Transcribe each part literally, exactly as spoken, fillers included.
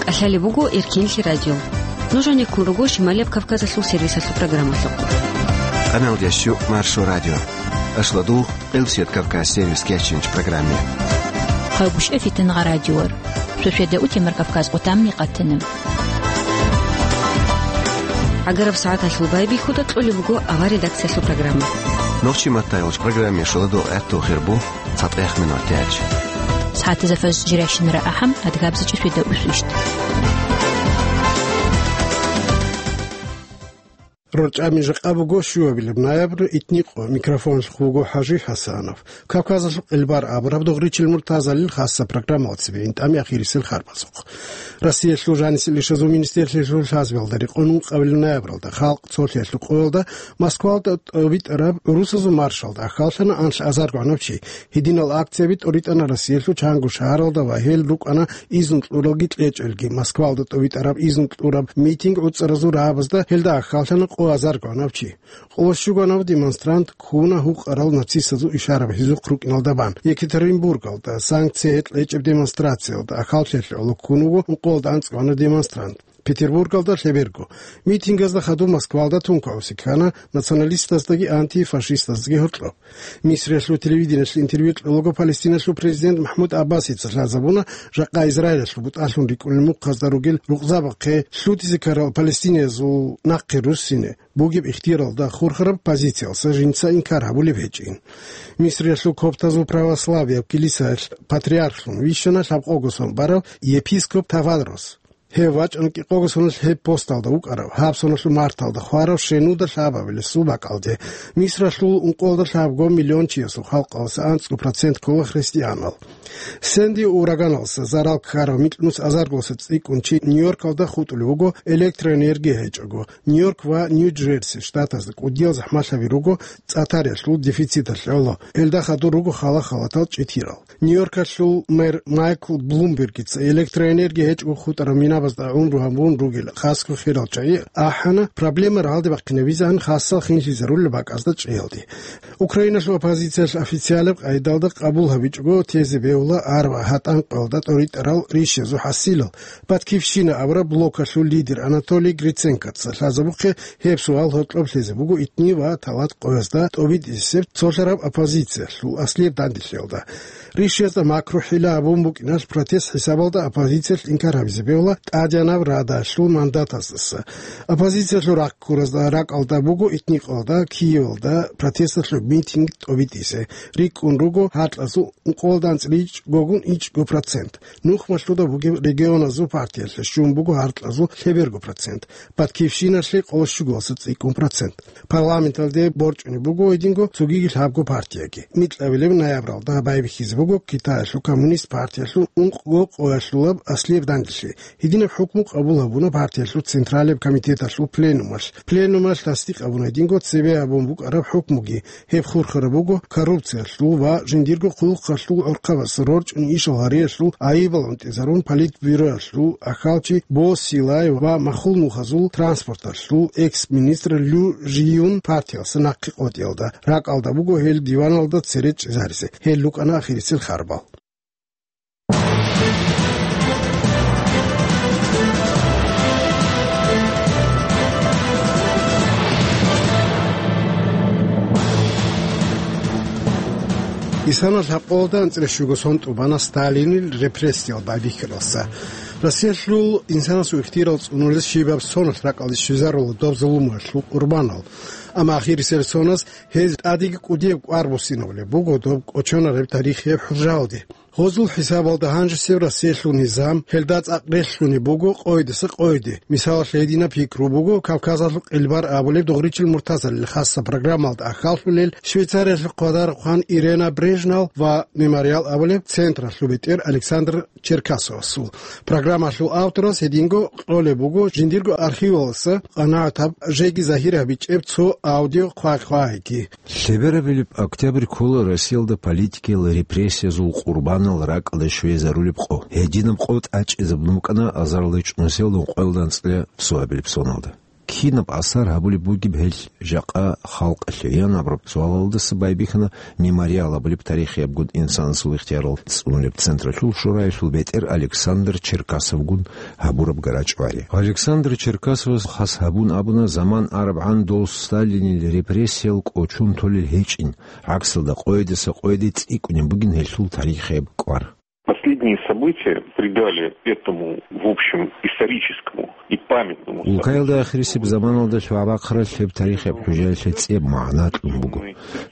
КӀалъалеб буго Эркинлъи радио. Нуж гьанеккун руго Шималияб Кавказалъул сервисалъул программалъухъ. Къаналдящу Маршо радио. Ашладу Къилсият Кавказ сервис кечинч программе. Хъайбушев Фитнагъа радиор. Шошведа утемар Кавказ къутамни къатана. ГӀагараб сагӀаталъул байбихьуда кьолеб буго авар редакциялъул программа. Нохчи маттайолч программе шоладо гӀатту хирбу цатӀех минут тяч. СагӀатазда фаз жиращинара ахӀам, адгабзачӀи шведа усвищт. РорчӀами жакъа буго щуабилеб ноябрь, итникъо, микрофонлъ вуго ХӀажи ХӀасанов. Кавказалъул къилбар абураб Дугъричил Муртазалил хасса программалда цебе интӀами ахирисел харбазухъ. Россиялъул жанисел ишазул министрлъиялъул лъазбиялда рекъон ункъабилеб ноябралда халкъ цолъиялъул къоялда Москвалда тӀобитӀараб гӀурусазул маршалда ахӀаллъана анлъ азарго гӀанаб чи. Гьединал акцияб тӀоритӀана Россиялъул чанго шагьаралда ва гьел рукӀана изну кьуралги кьечӀелги. Москвалда тӀобитӀараб изну кьураб митинг гӀуцӀаразул рагӀабазда гьелда ахӀаллъана къо азарго гӀанаб чи. Къоло щуго гӀанаб демонстрант ккуна гьукъарал нацистазул ишараб гьезухъ рукӀиналда бан. Екатеринбургалда санкция гьекь гьечӀеб демонстрациялда ахӀаллъиялъе гӀоло ккун вуго ункъоялда анцӀго гӀанаб демонстрант. Петербургалда лъеберго митингазда хадуб Москвалда тункаосе ккана националистаздаги антифашистаздаги гьоркьоб. Мисриялъул телевидениялъе интервью кьолаго Палестиналъул президент МахӀмуд Аббасица лъазабуна, жакъа Израилалъул бутӀалъун рикӀкӀунел мухъазда ругел рукъзабахъе лъутизе ккарал палестиниязул нахъе руссине бугеб ихтияралда хурхараб позициялса жинца инкар гьабулеб гьечӀин. Мисриялъул коптазул православияб килисаялъ патриархлъун вищана лъабкъого сон барав епископ Тавадрос. Гьев вачӀана кӀикъого соналъ гьеб посталда вукӀарав, гьаб соналъул марталда хварав щенуда лъабабилесул бакӀалде. Мисралъул ункъоялда лъабго миллион чиясул халкъалъа анцӀго процент ккола христианал. Сэнди ураганалса зарал ккарав микьнус азарголъа цӀикӀкӀун чи Нью-Йоркалда хутӀулев вуго электроэнергия гьечӀого. Нью-Йорк ва Нью-Джерси штатазда кӀудиял захӀмалъаби руго цӀатариялъул дефициталъе гӀоло. Гьелда хадур руго хала-халатал чӀитирал. Нью-Йоркалъул мэр Майкл Блумбергица электроэнергия гьечӀого хутӀарал минабазда гӀумру гьабун ругел хасго хирал чагӀи ахӀана, проблема рагӀалдибахъинабизегӀан хасал хинлъизарулел бакӀазда чӀеялде. Украиналъул оппозициялъ официалаб къайдалда къабул гьабичӀого тезе бегьула арба гьатӀан къоялда тӀоритӀарал ришязул хӀасилал. «Батькивщина» абураб блокалъул лидер Анатолий Гриценкоца лъазабухъе гьеб суал гьоркьоб лъезе буго итни ва талат къоязда тӀобитӀисеб цолъараб оппозициялъул аслияб данделъиялда. Ришиязда макру-хӀила гьабун букӀиналъ протест хӀисабалда оппозициялъ инкар гьабизе бегьула тӀадегӀанаб Радалъул мандатаздаса. Оппозициялъул рахъ ккуразда ракӀалда буго итни къоялда Киевалда протесталъул митинг тӀобитӀизе. РикӀкӀун руго гьаркьазул ункъоялда анцӀила ичӀгогун ичӀго процент. Нухмалъуда бугеб регионазул партиялъе щун буго гьаркьазул лъеберго процент, «Батькивщиналъе» къоло щуголаса цӀикӀкӀун процент. Парламенталде борчӀунеб буго гьединго цогиги лъабго партияги. Микьабилеб ноябралда байбихьизе буго Китаялъул коммунист партиялъул ункъго къоялъулаб аслияб данделъи. Гьединаб хӀукму къабул гьабуна партиялъул Централияб комитеталъул пленумалъ. Пленумалъ тасдикъ гьабуна гьединго цебе гьабун букӀараб хӀукмуги. Гьеб хурхараб буго коррупциялъул ва жиндирго хъулухъалъул гӀурхъабаз рорчӀун ишал гьариялъул гӀайибал гӀунтӀизарун Политбюроялъул ахьалчи Бо Силай ва махул нухазул транспорталъул экс-министр Лю Жиюн партиялса нахъе къотӀиялда. РакӀалда буго гьел диваналда цере чӀезаризе. Гьел рукӀана ахирисел харбал. Исана лъабкъоялда анцӀила щуго сон тӀубана Сталинил репрессиял байбихьаралса. Россиялъул инсанасул ихтияр цӀунулес щибаб соналъ ракӀалде щвезарула доб зулумуялъул къурбанал. Амма ахирисел соназ гьез тӀадеги кӀудияб кӀвар буссинабулеб буго доб кӀочонареб тарихияб хӀужаялде. Гьозул хӀисабалда гьанжесев Россиялъул низам, гьелда цӀакъ релълъунеб буго къойдаса къойде. Мисалалъе, гьединаб пикру буго Кавказалъул къилбар абулеб Дугъричил Муртазалил хасса программалда ахьаллъулел Швейцариялъул хъвадарухъан Ирена Брежнал ва Мемориал абулеб централъул бетӀер Александр Черкасовасул. Программалъул авторас гьединго кьолеб буго жиндирго архивалдаса къанагӀатаб жеги загьир гьабичӀеб цо аудио хъвай-хъвайги. Лъеберабилеб октябрь ккола Россиялда политикиял репрессиязул къурбанал ракӀалде щвезарулеб къо. Гьединаб къо тӀачӀизабун букӀана азарилда чӀунусиялда ункъоялда анцӀила цоабилеб соналда. Кинаб асар гьабулеб бугеб гьел жакъа халкъалъе? Ян абураб суалалдаса байбихьана «Мемориал» абулеб тарихиябгун инсанасул ихтиярал цӀунулеб централъул шураялъул бетӀер Александр Черкасовгун гьабураб гарачӀвари. Александр Черкасовас хас гьабун абуна, заман арабгӀан дол Сталинил репрессиял кӀочон толел гьечӀин, гӀаксалда къойдаса къойде цӀикӀкӀунеб бугин гьелъул тарихияб кӀвар. Последние события придали этому, в общем, историческому и памятному событию. Улкаялда ахирисеб заманалда лъугӀа-бахъаралъ гьеб тарихияб хӀужаялъе цӀеб магӀна кьун буго.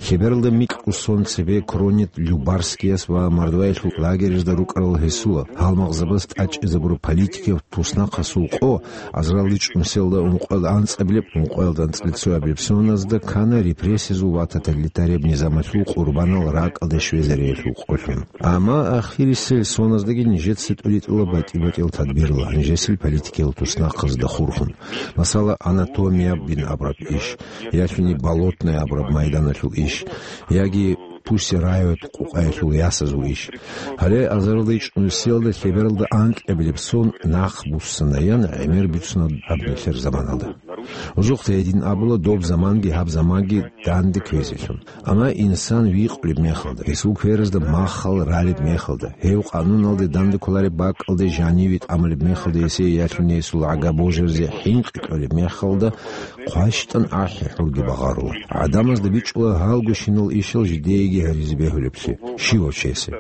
Лъебералда микьго сон цебе Кронет-Любарскияс ва мордваялъул лагерьазда рукӀарал гьесула, гьалмагъзабаз тӀадчӀезабураб политикияв туснахъасул къо, азаралда чӀумселда ункъоялда анцӀабилеб, ункъоялда анцӀила цоябилеб соназда ккана репрессиязул ва тоталитарияб низамалъул къурбанал ракӀалде щвезариялъул къолъун. Амма ахирисел соназдаги нижеца тӀуритӀула батӀи-батӀиял тадбирал, нижесил политикиял туснахъазда хурхун. Масала, Анатомия бин абураб иш, ялъуни Болотная абураб майданалъул иш, яги Пусть рают къукъаялъул ясазул иш. Гьале азарилда чӀунусиялда лъебералда анкьабилеб сон нахъ буссана, ян гӀемер бицуна гьаб нилъер заманалда. Узухъ гьедин абула, доб заманги гьаб заманги данде кквезелъун. Амма инсан викъулеб мехалда, гьесул кверазда маххал ралеб мехалда, гьев къануналде данде кколареб бакӀалде жаниве тӀамулеб мехалда, гьесие ялъуни гьесул гӀага божаризе хӀинкъи кьолеб мехалда, хъващтӀан ахӀи хӀурги багъарула. ГӀадамазда бичӀчӀула гьалгощинал ишал жидееги гьаризе бегьулеблъи, щивав чиясе.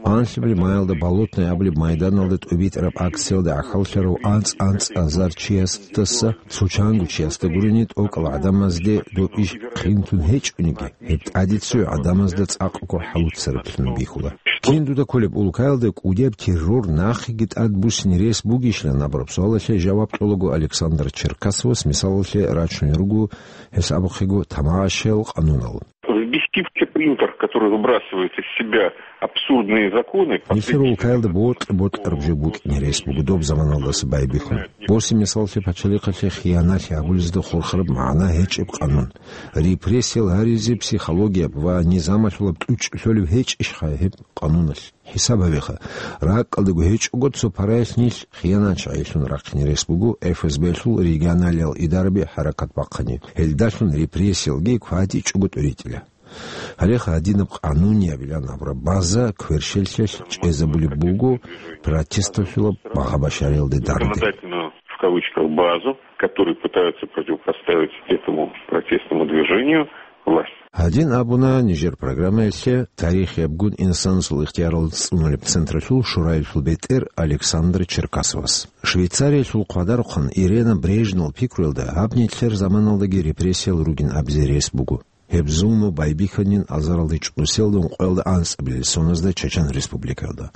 Анлъабилеб маялда Болотная абулеб майданалда тӀубитӀараб акциялда гӀахьаллъарав анцӀ-анцӀазар чиясдаса цо чанго чиясда гурони тӀокӀал гӀадамазде доб иш хъинтун гьечӀониги, гьеб тӀаде цо гӀадамазда цӀакъго хӀалуцараблъун бихьула. Кин дуда кколеб улкаялда кӀудияб террор нахъеги тӀад буссине рес бугищилан абураб суалалъе жаваб кьолаго Александр Черкасовас мисалалъе рачунел руго, гьес абухъего, тамашаял къанунал. Взбесившийся принтер, который выбрасывает из себя абсурдные законы. Нилъер улкаялда бокьа-бокьараб жо букӀине рес буго доб заманалдаса байбихьун. Боси мисаллъи пачалихъалъе хияналъи гьабулезда хурхараб магӀна гьечӀеб къанун. Репрессиял гьаризе психологияб ва низамалъулаб тӀучӀ лъолеб гьечӀищха гьеб къануналъ? ХӀисаб гьабеха, ракӀалдаго гьечӀого цо параялъ нилъ хияначагӀилъун рахъине рес буго ФСБ-лъул регионалиял идараби хӀаракат бахъани, гьелдалъун репрессиялги кватӀичӀого тӀуритӀила. Гьалеха гьадинаб къануниябилан абураб база кверщеллъиялъ чӀезабулеб буго протесталъулаб багъа-башариялде данде. Законодательную, в кавычках, базу, которые пытаются противопоставить этому протестному движению власть. Гьадин абуна нижер программаялъе тарихиябгун инсанасул ихтиярал цӀунулеб централъул шураялъул бетӀер Александр Черкасовас. Швейцариялъул хъвадарухъан Ирена Брежнел пикруялда гьаб нилъер заманалдаги репрессиял ругин абизе рес буго. Гьеб зулму байбихьанин азаралда чӀунусиялда ункъоялда анцӀабилеб соназда Чечен Республикаялда.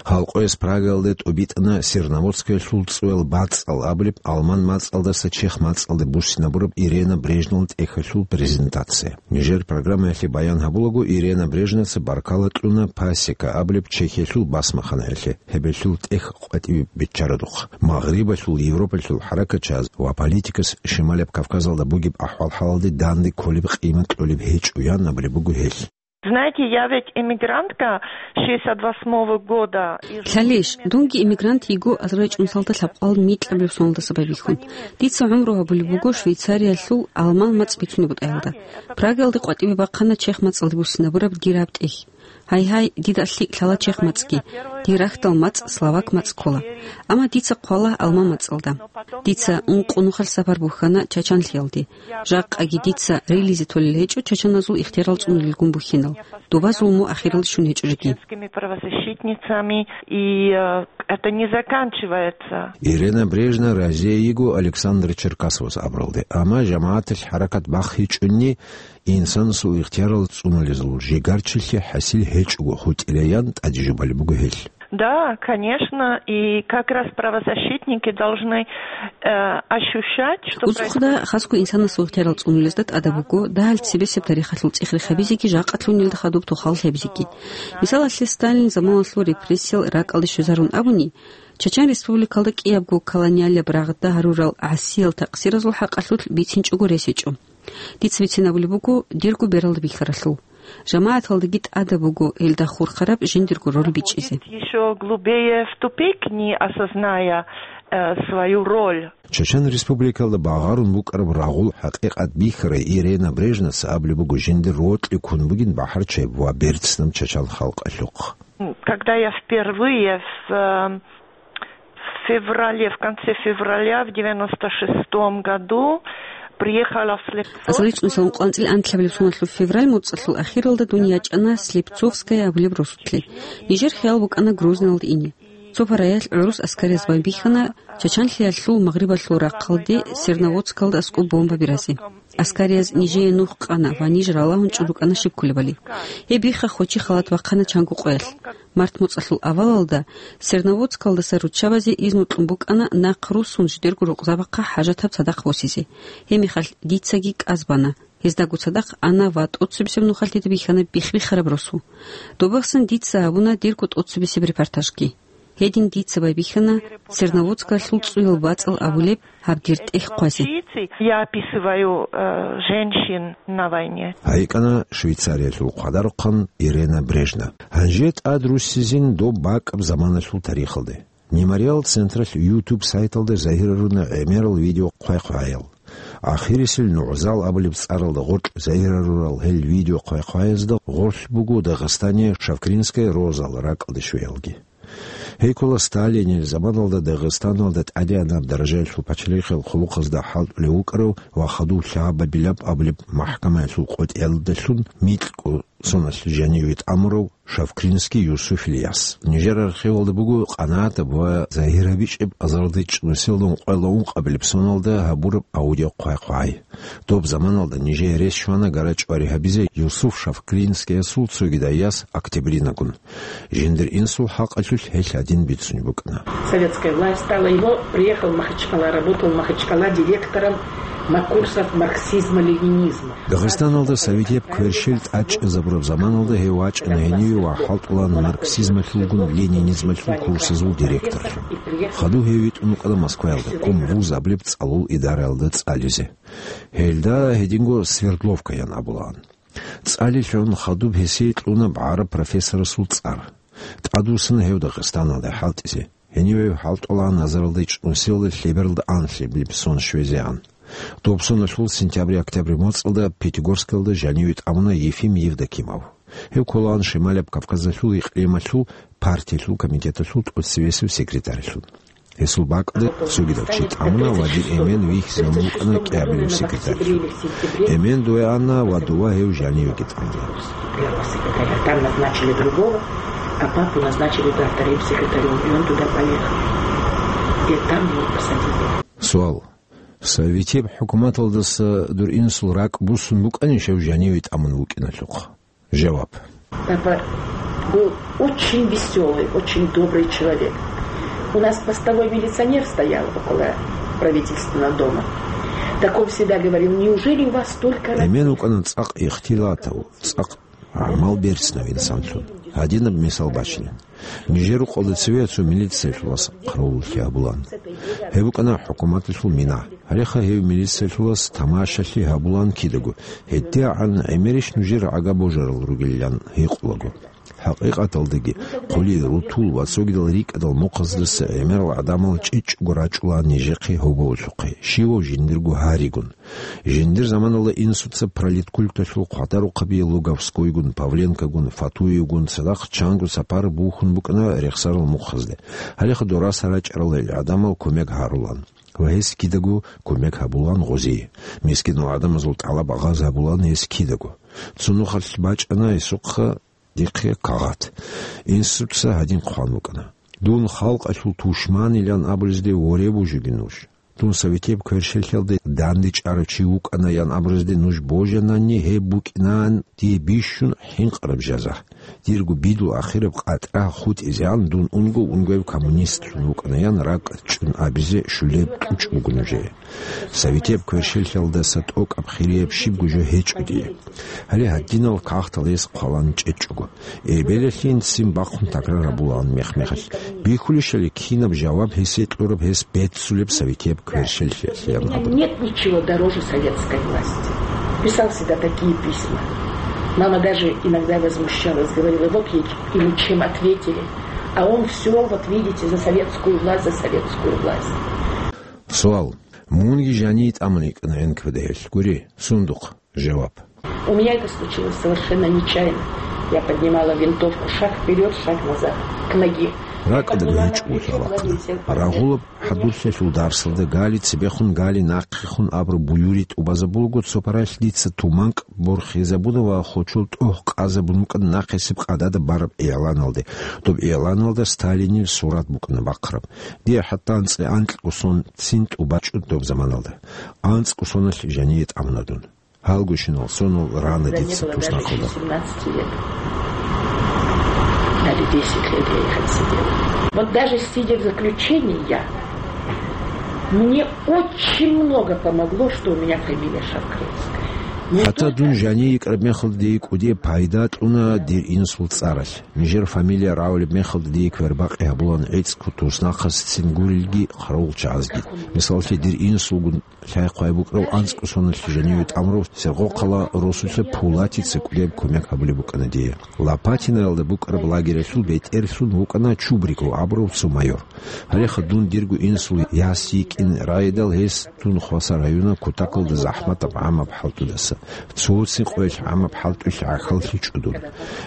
Халкъояс Прагаялда тӀубитӀана Серноводскаялъул цӀуял бацӀцӀал абулеб алман мацӀалдаса чех мацӀалде буссинабураб Ирена Брежнел тӀехьалъул презентация. Нижер программаялъе баян гьабулаго, Ирена Брежнелаца баркала кьуна Пасека абулеб Чехиялъул басмаханаялъе, гьебелъул тӀех къватӀибе биччарадухъ. Магърибалъул, Европалъул хӀаракатчияс ва политикас Шималияб Кавказалда бугеб ахӀвал-хӀалалде данде кколеб къимат кьолеб гьечӀо, ян абулеб буго гьел. Знаете, я ведь эмигрантка шестьдесят восьмого года. Лъалищ, дунги эмигрант йиго азарилда чӀунусиялда лъабкъоялда микьабилеб соналдаса байбихьун. Дица гӀумру гьабулеб буго Швейцариялъул алман мацӀ бицунеб бутӀаялда. Прагаялда къватӀибе бахъана чех мацӀалде буссинабураб дир гьаб тӀехь. Гьай-гьай, дида лъикӀ лъала чех мацӀги, дир рахьдал мацӀ словак мацӀ ккола. Амма дица хъвала алман мацӀалда. Дица ункъо нухалъ сапар бухьана Чачанлъиялде. Жакъаги дица рилизе толел гьечӀо чачаназул ихтиярал цӀунулелгун бухьинал, доба зулму ахиралде щун гьечӀо жеги. Чеченскими правозащитницами, и, э, это не заканчивается. Ирена Брежнел разие йиго Александр Черкасовас абуралде, амма жамагӀаталъ хӀаракат бахъичӀони, инсанасул ихтиярал цӀунулезул жигарчилъи хӀасил гьечӀого хутӀилаян тӀаде жубалеб буго гьел. Да, конечно, и как раз правозащитники должны, э, ощущать, что... Узухъда, хасго инсанасул ихтиярал цӀунулезда тӀадаб буго дагьал цебесеб тарихалъул цӀех-рех гьабизеги жакъалъунилда хадуб тухал гьабизеги. Мисалалъе, Сталин заманалъул репрессиял ракӀалде щвезарун абуни, Чачан Республикалда кӀиябго колониалияб рагъда гьарурал гӀасиял такъсиразул хӀакъалъулъ бицинчӀого рес гьечӀо. Дица бицинабулеб буго дирго бералда бихьаралъул. ЖамагӀаталдаги тӀадаб буго гьелда хурхараб жиндирго роль бичӀчӀизе. Ещё глубее в тупик, не осозная э, свою роль. Чечен Республикалда багъарун букӀараб рагъул хӀакъикъат бихьарай Ирена Брежневас абулеб буго жиндир рокьи ккун бугин бахӀарчияб ва берцинаб чачан халкъалъухъ. Когда я впервые в, э, в феврале, в конце февраля в девяносто шестом году приехала в Слепцово. Азарилъ цӀунусилан къванцӀил анлъабилеб соналъул февраль муцӀалъул ахиралда дун ячӀана Слепцовская абулеб росулъе. Нижер хиял букӀана Грозныйалда ине. Цо параялъ гӀурус аскариз байбихьана Чачанлъиялъул магърибалъул рахъалде Серноводскалда аскӀоб бомба биразе. Аскарияз нижее нух къана ва ниж ралагьун чӀун рукӀана щиб кколебали. Гьеб бихха хочи халат бахъана чанго къоялъ. Март муцӀалъул авалалда Серноводскалдаса руччабазе изну кьун букӀана нахъ руссун жидерго рукъзабахъа хӀажатаб цадахъ босизе. Гьеб мехалъ дицаги кӀаз бана. Гьездаго цадахъ ана ва тӀоцебесеб нухалъ дида бихьана бихбихараб росу. Добахъсан дица гьабуна дирго тӀоцебесеб репортажги. Гьедин дица байбихьана Серноводскалъул цӀуял бацӀал абулеб гьаб дир тӀехь хъвазе. Я описываю, э, женщин на войне. ГьайикӀана Швейцариялъул хъвадарухъан Ирена Брежнев. Гьанже тӀад руссизин доб бакӀаб заманалъул тарихалде. Мемориал централъ YouTube сайталда загьируна гӀемерал видео хъвай-хъваял. Ахирисел НугӀзал абулеб цӀаралда гъоркь загьирарурал гьел видео хъвай-хъваязда гъорлъ буго Дагъистане Шавкринская розал ракӀалде щвеялги. Гьей ккола Сталинил заманалда Дагъистаналда тӀадегӀанаб даражаялъул пачалихъал хъулухъазда хӀалтӀулев вукӀарав ва хадув лъабабилаб абулеб махӀкамаялъул къотӀиялдалъун микьго соналъ жаниве тӀамурав Шавкринский Юсуфил яс. Нижер архивалда буго къанагӀатаб ва загьир гьабичӀеб азарилда чӀунусиялда ункъоялда ункъабилеб соналда гьабураб аудио хъвай-хъвай. Доб заманалда нижее рес щвана гара-чӀвари гьабизе Юсуф Шавкринскиясул цогидай яс Октябринагун. Жиндир инсул хӀакъалъулъ гьелъ гьадин бицунеб букӀана. Советская власть стала его, приехал в Махачкала, работал в Махачкала директором на курсах марксизма-ленинизма. Дагъистаналда советияб кверщел тӀадчӀезабураб заманалда гьев вачӀана гьениве ва хӀалтӀулаан марксизмалъулгун ленинизмалъул курсазул директорлъун. Хадув гьев витӀун вукӀана Москваялда, Ком вуз абулеб цӀалул идараялда цӀализе. Гьелда гьединго Свердловкаян абулаан. ЦӀалилъун хадуб гьесие кьуна гӀараб профессорасул цӀар. ТӀадвуссана гьев Дагъистаналде хӀалтӀизе. Гьениве хӀалтӀулаан азарилда чӀунусиялда лъебералда анлъабилеб сон щвезегӀан. Доб соналъул сентябрь-октябрь моцӀалда Пятигорскалда жаниве тӀамуна Ефим Евдокимов. Гьев кколаан Шималияб Кавказалъул икълималъул партиялъул комитеталъул тӀоцевесев секретарьлъун. Гьесул бакӀалда цогидав чи тӀамуна ва дир эмен вихьизавун вукӀана кӀиабилев секретарьлъун. Эмен дуве ана ва дова гьев жанивеги тӀамуна. Первого секретаря, там назначили другого, а папу назначили, да, вторым секретарем, и он туда поехал. И там его посадили. Суал. Советияб хӀукуматалдаса дур инсул ракӀ буссун букӀанищ гьев жаниве тӀамун вукӀиналъухъ? Жаваб. Папа был очень весёлый, очень добрый человек. У нас постовой милиционер стоял около правительственного дома. Так он всегда говорил: «Неужели у вас столько работы?» Эмен вукӀана цӀакъ ихтилатав, цӀакъ гӀамал берцинав инсанлъун. Гьадинаб мисал бачинин. Нижер рукъалда цеве цо милициялъулас хъаравуллъи гьабулаан. Гьеб букӀана хӀукуматалъул мина. Гьалеха гьев милициялъулас тамашалъи гьабулаан кидаго, гьедигӀан гӀемерищ нужер гӀага божарал ругилан гьикъулаго. ХӀакъикъаталдаги, хъули, рутул ва цогидал рикӀкӀадал мухъаздаса гӀемерал гӀадамал чӀечӀого рачӀулаан нижехъе гьоболлъухъе, щивав жиндирго гьаригун. Жиндир заманалда инсуца политкульталъул хъвадарухъаби Луговскойгун, Павленкогун, Фатуевгун цадахъ чанго сапар бухьун букӀана рехсарал мухъазде. Гьалеха дораса рачӀарал гьел гӀадамал кумек гьарулаан. Ва гьес кидаго кумек гьабулаан гъозие. Мискинал гӀадамазул тӀалаб агъаз гьабулаан гьес кидаго. Цо нухалъ бачӀана гьесухъа дихъе кагъат. Инсуца гьадин хъван букӀана: «Дун халкъалъул тушманилан абулезде воре бужуги нуж. Дун советияб кверщелъалде дандечӀарав чи вукӀана ян абурезде нуж божанани, гьеб букӀинаан дие бищун хӀинкъараб жаза. Дирго бидул ахираб къатӀра хутӀизегӀан дун унго-унгояб коммунистлъун вукӀана ян ракӀ чӀун абизе щулеб кьучӀ буго нужее. Советияб кверщелъалдаса тӀокӀаб хирияб щибго жо гьечӀо дие». Гьале гьадинал кагътал гьес хъвалан чӀечӀого. Эбелалъин ццин бахъун такрар гьабулаан мех-мехалъ. Бихьулищали кинаб жаваб гьесие кьураб гьес беццулеб советияб кверщелъиялъеян абун. У меня нет ничего дороже советской власти. Писал всегда такие письма. Мама даже иногда возмущалась, говорила: «Вот ей ему чем ответили». А он всё, вот видите, за советскую власть, за советскую власть. Суал. Мунги жаниве тӀамун йикӀана НКВД-ялъ. Гури, сундухъ. Жаваб. У меня это случилось совершенно нечаянно. Я поднимала винтовку, шаг вперёд, шаг назад, к ноге. РакӀалда гьечӀого лъалахъана. Рагъулаб хӀадурлъиялъул дарсалда гали цебехун, гали нахъехун абураб буюри тӀубазабулаго, цо паралъ дица туманкӀ борхизабуна ва хочул тӀогь къазабун букӀана нахъисеб къадада бараб игӀланалде. Доб игӀланалда Сталинил сурат букӀана бахъараб. Дие хӀатта анцӀила анкьго сон цин тӀубачӀо доб заманалда. АнцӀго соналъ жаниве тӀамуна дун. Гьалгощинал сонал рана дица туснахъалда. Даже семнадцати лет. Даже десять лет я их отсидела. Вот даже сидя в заключении, я, мне очень много помогло, что у меня фамилия Шавкринская. Мне... ХӀатта дун жаниве йикӀараб мехалда дие кӀудияб пайда кьуна дир инсул цӀаралъ. Нижер фамилия рагӀулеб мехалда дие квербакъи гьабулаан гӀицӀго туснахъасцин гурелги, хъаравулчагӀазги. Мисаллъи, дир инсулгун лъай-хъвай букӀарав анцӀго соналъ жаниве тӀамурав Сергокъала росулъа Пулатица кӀудияб кумек гьабулеб букӀана дие. Лопатиноялда букӀараб лагералъул бетӀерлъун вукӀана Чубриков абурав цо майор. Гьалеха дун дирго инсул яс йикӀин райдал гьес дун хвасар гьаюна кутакалда захӀматаб гӀамаб хӀалтӀудаса. Цоцин къоялъ гӀамаб хӀалтӀуялъ гӀахьаллъичӀо дун.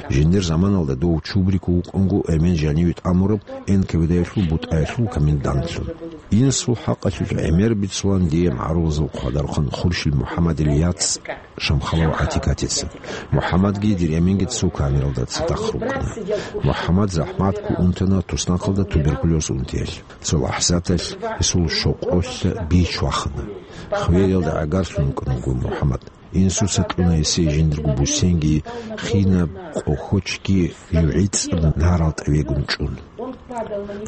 Жиндир заманалда дов Чубриков вукӀунго эмен жаниве тӀамураб НКВД-ялъул бутӀаялъул комендантлъун. Инсул хӀакъалъулъ гӀемер бицулаан дие магӀарулазул хъвадархъан Хуршил МухӀаммадил яц Шамхалов ГӀатикатица. МухӀаммадги дир эменги цо камералда цадахъ рукӀана. МухӀаммад захӀматго унтана туснахъалда туберкулез унтиялъ. Цо лахӀзаталъ гьесул щокъолъа бич вахана. Хвелалда гӀагарлъун вукӀана вуго МухӀаммад. Инсуца кьуна гьесие жиндирго бусенги, хинаб къохочги, жугӀицӀаб нарал тӀавегун чӀун.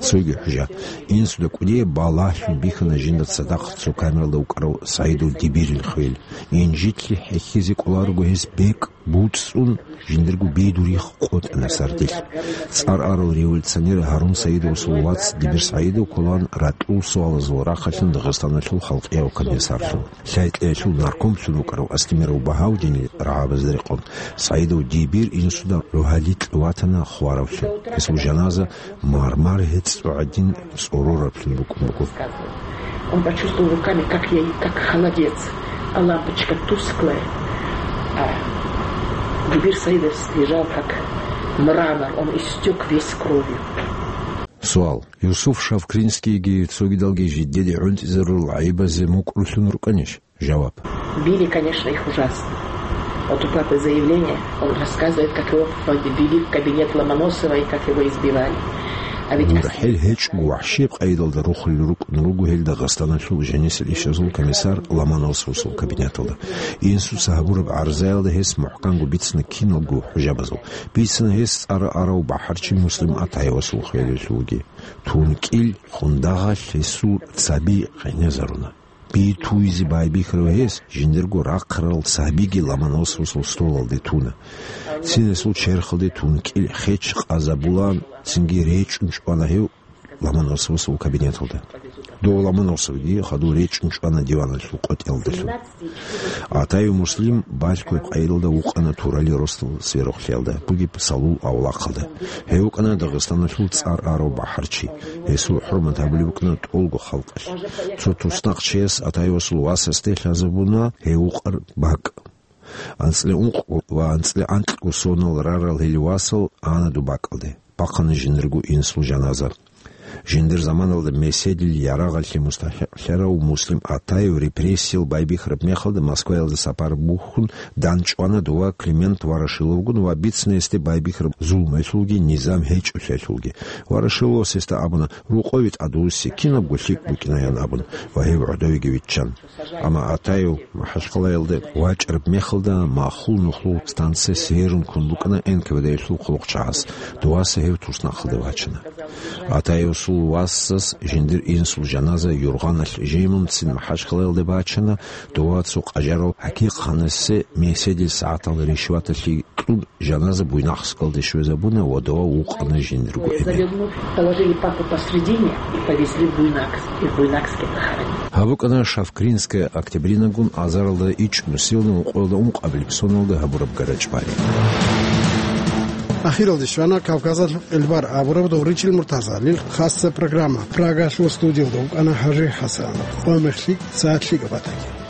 Цоги хӀужа. Инсуда кӀудияб балагьлъун бихьана жинда цадахъ цо камералда вукӀарав СагӀидов Дибирил хвел. Инжитлъи хӀехьизе кӀоларого гьес бекӀ буцӀцӀун, жиндирго бедурихъ къотӀана сардилъ. ЦӀар арал революционер Гьарун Саидовасул вац Дибир СагӀидов кколаан ратӀул суалазул рахъалъан Дагъистаналъул халкъияв комиссарлъун. Лъай-кьеялъул наркомлъун вукӀарав Астемиров Багьавдинил рагӀабазда рекъон, СагӀидов Дибир инсуда рогьалил ватана хваравлъун. Гьесул жаназа мармар гьецӀо гӀадин цӀорораблъун букӀун буго. Он почувствовал руками, как я, как холодец, а лампочка тусклая, а Дибир Саидов лежал как мрамор, он истёк весь кровью. Суал. Юсуф Шавкринскийги цогидалги жидеде гӀунтӀизарурал гӀайибазе мукӀрулъун рукӀанищ? Жаваб. Били, конечно, их ужасно. Вот у папы заявление, он рассказывает, как его ввели в кабинет Ломоносова и как его избивали. А ведь... ГурхӀел гьечӀого вахӀшияб къайдалда рухулел рукӀун руго гьел Дагъистаналъул жанисел ишазул комиссар Ломоносовасул кабинеталда. Инсуца гьабураб гӀарзаялда гьес мухӀканго бицина киналго хӀужабазул. Бицина гьес цӀар арав бахӀарчи Муслим Атаевасул хвелалъулги. ТункӀил хундагъалъ гьесул цаби къенезаруна. Би туйзе байбихьарав гьес жиндирго рахъарал цабиги Ломоносовасул столалде туна. Цин гьесул черхалде тункӀил хеч къазабулаан, цинги речӀун чӀвана гьев Ломоносовасул кабинеталда. Дов Ломоносовги хадув речӀун чӀвана диваналъул къотӀелдалъун. Атаев Муслим балъгояб къайдалда вукъана Турали росдал сверухълъиялда бугеб Салул авлахъалда. Гьев вукӀана Дагъистаналъул цӀар арав бахӀарчи. Гьесул хӀурмат гьабулеб букӀана тӀолго халкъалъ. Цо туснахъ чияс Атаевасул васасде лъазабуна гьев вукъараб бакӀ. АнцӀила ункъго ва анцӀила анкьго сонал рарал гьел васал ана доб бакӀалде. Бахъана жиндирго инсул жаназа. Жиндир заманалда меседил ярагъалъе мустахӀикълъарав Муслим Атаев репрессиял байбихьараб мехалда Москваялда сапар бухьун дандчӀвана дова Климент Ворошиловгун ва бицна гьесде байбихьараб зулмуялъулги низам гьечӀолъиялъулги. Ворошиловас гьесда абуна, рокъове тӀадвуссин, кинабго лъикӀ букӀинаян абун, ва гьев гӀодовеги виччан. Амма Атаев МахӀачхъалаялда вачӀараб мехалда махул нухлул станция Северун ккун букӀана НКВД-ялъул хъулухъчагӀаз. Доваса гьев туснахъалде вачана. Атаевасул васас жиндир инсул жаназа юргъаналъ жимун цин МахӀачхъалаялде бачана, дова цо къажарав ХӀакъикъ-ханасде меседил сагӀатал ришваталъе кьун жаназа Буйнакскалде щвезабуна ва дова вукъана жиндирго эмен. Завернув, положили папу посредине и повезли в Буйнакск, и в Буйнакске похоронили. Гьаб букӀана Шавкринская Октябринагун азаралда ичӀнусиялда ункъоялда ункъабилеб соналда гьабураб гара-чӀвари. Ахиралде щвана Кавказалъул къилбар абураб Довричил Муртазалил хасса программа. Прагалъул студиялда вукӀана ХӀажи ХӀасан. Къо-мех лъикӀ, сагӀат лъикӀаб батаги.